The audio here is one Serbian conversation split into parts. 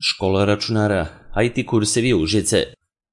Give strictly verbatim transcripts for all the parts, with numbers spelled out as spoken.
Škola računara, I T kursevi Užice.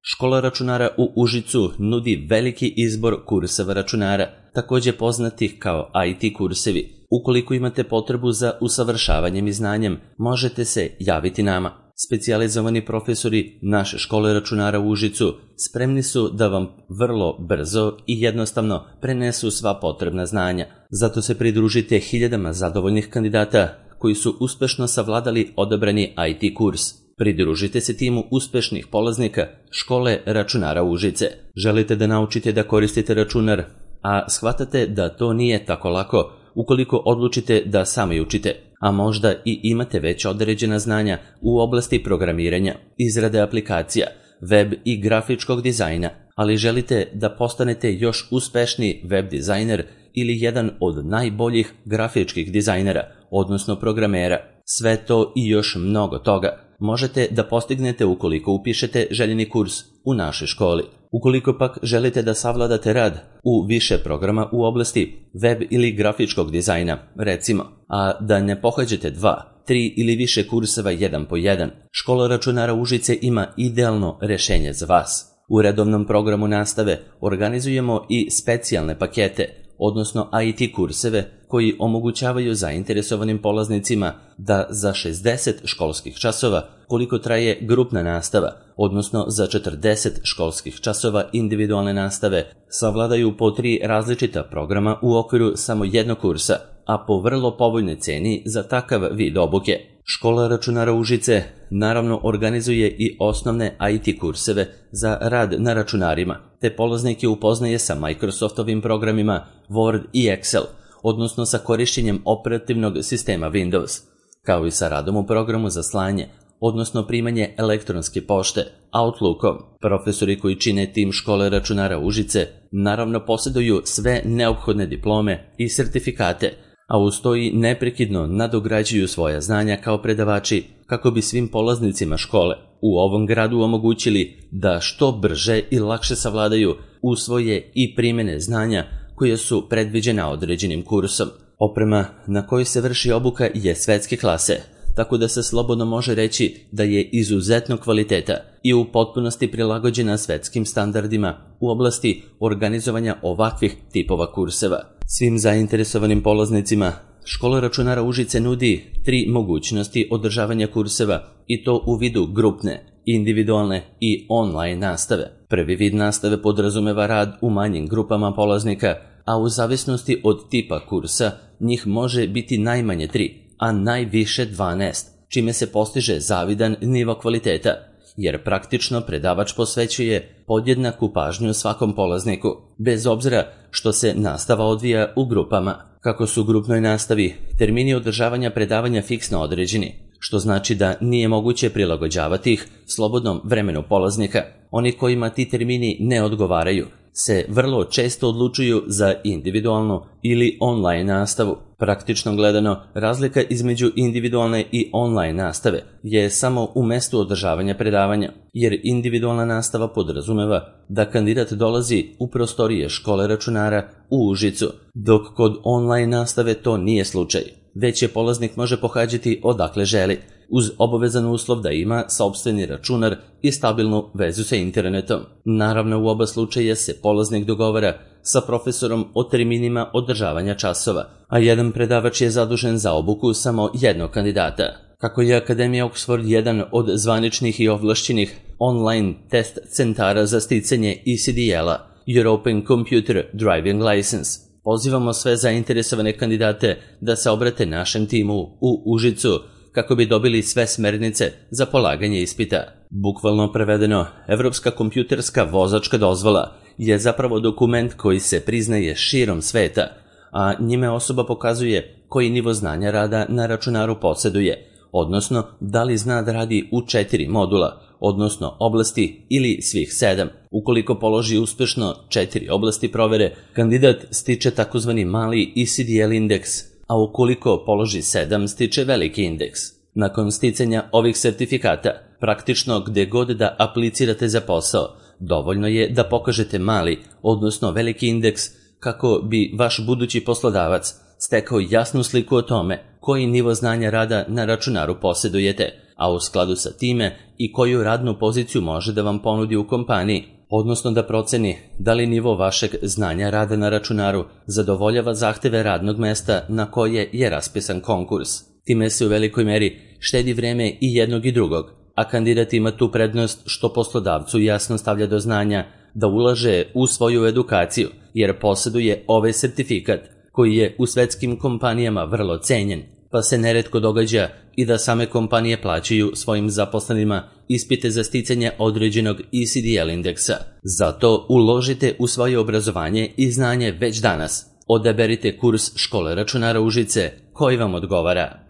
Škola računara u Užicu nudi veliki izbor kurseva računara, također poznatih kao I T kursevi. Ukoliko imate potrebu za usavršavanjem i znanjem, možete se javiti nama. Specijalizovani profesori naše škole računara u Užicu spremni su da vam vrlo brzo i jednostavno prenesu sva potrebna znanja. Zato se pridružite hiljadama zadovoljnih kandidata koji su uspešno savladali odabrani I T kurs. Pridružite se timu uspešnih polaznika škole računara Užice. Želite da naučite da koristite računar, a shvatate da to nije tako lako ukoliko odlučite da sami učite, a možda i imate već određena znanja u oblasti programiranja, izrade aplikacija, web i grafičkog dizajna, ali želite da postanete još uspešniji web dizajner ili jedan od najboljih grafičkih dizajnera, odnosno programera. Sve to i još mnogo toga možete da postignete ukoliko upišete željeni kurs u našoj školi. Ukoliko pak želite da savladate rad u više programa u oblasti web ili grafičkog dizajna, recimo, a da ne pohađate dva, tri ili više kurseva jedan po jedan, škola računara Užice ima idealno rešenje za vas. U redovnom programu nastave organizujemo i specijalne pakete, odnosno I T kurseve koji omogućavaju zainteresovanim polaznicima da za šezdeset školskih časova, koliko traje grupna nastava, odnosno za četrdeset školskih časova individualne nastave, savladaju po tri različita programa u okviru samo jednog kursa, a po vrlo povoljnoj ceni za takav vid obuke. Škola računara Užice naravno organizuje i osnovne I T kurseve za rad na računarima, te polaznike upoznaje sa Microsoftovim programima Word i Excel, odnosno sa korišćenjem operativnog sistema Windows, kao i sa radom u programu za slanje, odnosno primanje elektronske pošte, Outlookom. Profesori koji čine tim škole računara Užice naravno posjeduju sve neophodne diplome i sertifikate, a uz to i neprekidno nadograđuju svoja znanja kao predavači kako bi svim polaznicima škole u ovom gradu omogućili da što brže i lakše savladaju usvoje i primene znanja koje su predviđena određenim kursom. Oprema na kojoj se vrši obuka je svetske klase, tako da se slobodno može reći da je izuzetno kvaliteta i u potpunosti prilagođena svetskim standardima u oblasti organizovanja ovakvih tipova kurseva. Svim zainteresovanim polaznicima škola računara Užice nudi tri mogućnosti održavanja kurseva i to u vidu grupne, individualne i online nastave. Prvi vid nastave podrazumeva rad u manjim grupama polaznika, a u zavisnosti od tipa kursa njih može biti najmanje tri, a najviše dvanaest, čime se postiže zavidan nivo kvaliteta, jer praktično predavač posvećuje podjednaku pažnju svakom polazniku, bez obzira što se nastava odvija u grupama. Kako su u grupnoj nastavi termini održavanja predavanja fiksno određeni, što znači da nije moguće prilagođavati ih slobodnom vremenu polaznika. Oni kojima ti termini ne odgovaraju se vrlo često odlučuju za individualnu ili online nastavu. Praktično gledano, razlika između individualne i online nastave je samo u mestu održavanja predavanja, jer individualna nastava podrazumeva da kandidat dolazi u prostorije škole računara u Užicu, dok kod online nastave to nije slučaj, već je polaznik može pohađati odakle želi, uz obavezan uslov da ima sopstveni računar i stabilnu vezu sa internetom. Naravno, u oba slučaja se polaznik dogovara sa profesorom o terminima održavanja časova, a jedan predavač je zadužen za obuku samo jednog kandidata. Kako je Akademija Oxford jedan od zvaničnih i ovlašćenih online test centara za sticanje E C D L-a, European Computer Driving License, pozivamo sve zainteresovane kandidate da se obrate našem timu u Užicu kako bi dobili sve smernice za polaganje ispita. Bukvalno prevedeno, Evropska kompjuterska vozačka dozvola je zapravo dokument koji se priznaje širom sveta, a njime osoba pokazuje koji nivo znanja rada na računaru posjeduje, odnosno da li zna da radi u četiri modula, odnosno oblasti ili svih sedam. Ukoliko položi uspešno četiri oblasti provere, kandidat stiče takozvani mali E C D L indeks, a ukoliko položi sedam, stiče veliki indeks. Nakon sticanja ovih sertifikata, praktično gde god da aplicirate za posao, dovoljno je da pokažete mali, odnosno veliki indeks, kako bi vaš budući poslodavac stekao jasnu sliku o tome koji nivo znanja rada na računaru posjedujete, a u skladu sa time i koju radnu poziciju može da vam ponudi u kompaniji, odnosno da proceni da li nivo vašeg znanja rada na računaru zadovoljava zahteve radnog mesta na koje je raspisan konkurs. Time se u velikoj meri štedi vreme i jednog i drugog, a kandidat ima tu prednost što poslodavcu jasno stavlja do znanja da ulaže u svoju edukaciju, jer posjeduje ovaj sertifikat koji je u svetskim kompanijama vrlo cenjen, pa se neretko događa i da same kompanije plaćaju svojim zaposlenima ispite za sticanje određenog E C D L indeksa. Zato uložite u svoje obrazovanje i znanje već danas. Odaberite kurs Škole računara Užice koji vam odgovara.